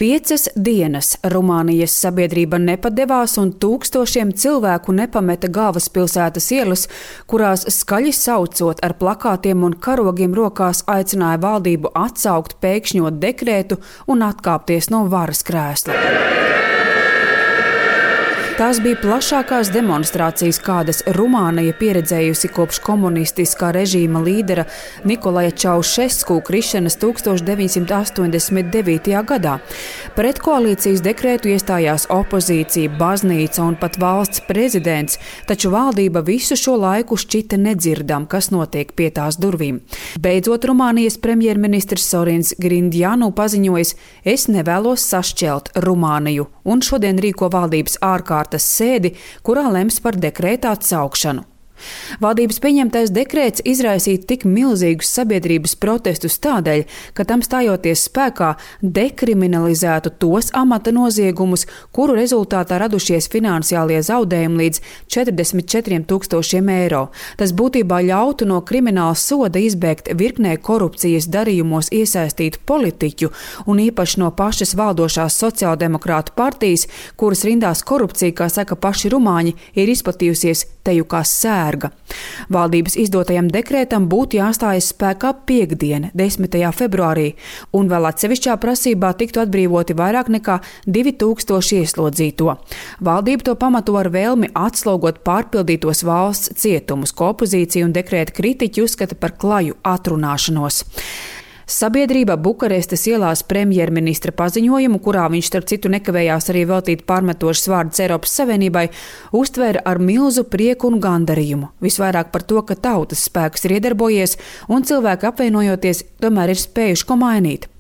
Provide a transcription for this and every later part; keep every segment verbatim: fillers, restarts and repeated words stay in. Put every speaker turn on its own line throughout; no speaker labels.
Piecas dienas Rumānijas sabiedrība nepadevās un tūkstošiem cilvēku nepameta galvaspilsētas ielas, kurās skaļi saucot ar plakātiem un karogiem rokās aicināja valdību atsaukt pēkšņo dekrētu un atkāpties no varas krēsla. Tās bija plašākās demonstrācijas, kādas Rumānija pieredzējusi kopš komunistiskā režīma līdera Nikolaja Čaušesku krišanas tūkstoš deviņsimt astoņdesmit devītajā gadā. Pret koalīcijas dekrētu iestājās opozīcija, baznīca un pat valsts prezidents, taču valdība visu šo laiku šķita nedzirdam, kas notiek pie tās durvīm. Beidzot, Rumānijas premjerministrs Sorins Grindjanu paziņojis: es nevēlos sašķelt Rumāniju, un šodien rīko valdības ārkārtas sēdi, kurā lems par dekrēta atsaukšanu. Valdības pieņemtais dekrēts izraisīja tik milzīgus sabiedrības protestus tādēļ, ka tam stājoties spēkā dekriminalizētu tos amata noziegumus, kuru rezultātā radušies finansiālie zaudējumi līdz četrdesmit četriem tūkstošiem eiro. Tas būtībā ļautu no krimināla soda izbēgt virknē korupcijas darījumos iesaistītu politiķu un īpaši no pašas valdošās sociāldemokrātu partijas, kuras rindās korupcija, kā saka paši rumāņi, ir izplatījusies teju kā sēra. Valdības izdotajam dekrētam būtu jāstājas spēkā piektdien, desmitajā februārī, un vēl atsevišķā prasībā tiktu atbrīvoti vairāk nekā divi tūkstoši ieslodzīto. Valdība to pamato ar vēlmi atslogot pārpildītos valsts cietumus, ko opozīcija un dekrēta kritiķi uzskata par klaju atrunāšanos. Sabiedrība Bukarestes ielās premjerministra paziņojumu, kurā viņš starp citu nekavējās arī veltīt pārmetošas vārdus Eiropas Savienībai, uztvēra ar milzu prieku un gandarījumu. Visvairāk par to, ka tautas spēks ir iedarbojies un cilvēki apvienojoties tomēr ir spējuši ko mainīt.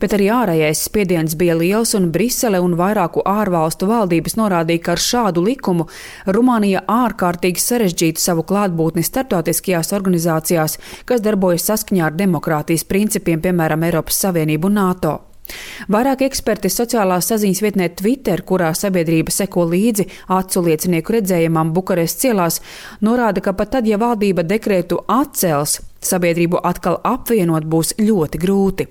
Bet arī ārējais spiediens bija liels, un Brisele un vairāku ārvalstu valdības norādīja, ka ar šādu likumu Rumānija ārkārtīgi sarežģītu savu klātbūtni starptautiskajās organizācijās, kas darbojas saskaņā ar demokrātijas principiem, piemēram, Eiropas Savienību un NATO. Vairāk eksperti sociālās saziņas vietnē Twitter, kurā sabiedrība seko līdzi acu liecinieku redzējumam Bukarestes ielās, norāda, ka pat tad, ja valdība dekrētu atcels, sabiedrību atkal apvienot būs ļoti grūti.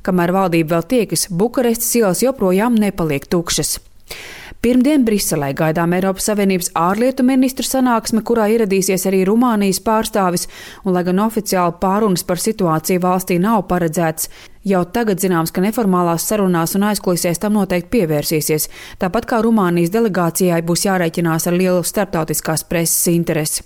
Kamēr valdība vēl tiekas, Bukarestes ielas joprojām nepaliek tukšas. Pirmdien Briselē gaidām Eiropas Savienības ārlietu ministru sanāksme, kurā ieradīsies arī Rumānijas pārstāvis, un lai gan oficiāli pārunas par situāciju valstī nav paredzēts, jau tagad zināms, ka neformālās sarunās un aizkulisēs tam noteikti pievērsīsies, tāpat kā Rumānijas delegācijai būs jārēķinās ar lielu starptautiskās preses interesi.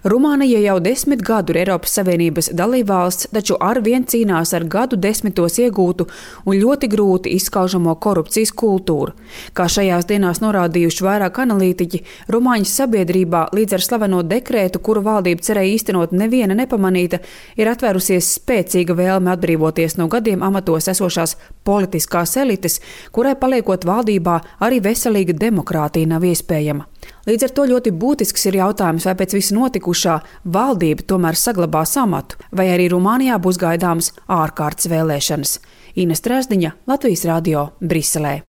Rumānija jau desmit gadu ir Eiropas Savienības dalībvalsts, taču arvien cīnās ar gadu desmitos iegūtu un ļoti grūti izskaužamo korupcijas kultūru. Kā šajās dienās norādījuši vairāk analītiķi, Rumāņu sabiedrībā līdz ar slaveno dekrētu, kuru valdība cerēja īstenot neviena nepamanīta, ir atvērusies spēcīga vēlme atbrīvoties no gadiem amatos esošās politiskās elites, kurai paliekot valdībā arī veselīga demokrātija nav iespējama. Līdz ar to ļoti būtisks ir jautājums, vai pēc visu notikušā valdība tomēr saglabās amatu, vai arī Rumānijā būs gaidāmas ārkārtas vēlēšanas. Ines Trēsdiņa, Latvijas radio, Briselē.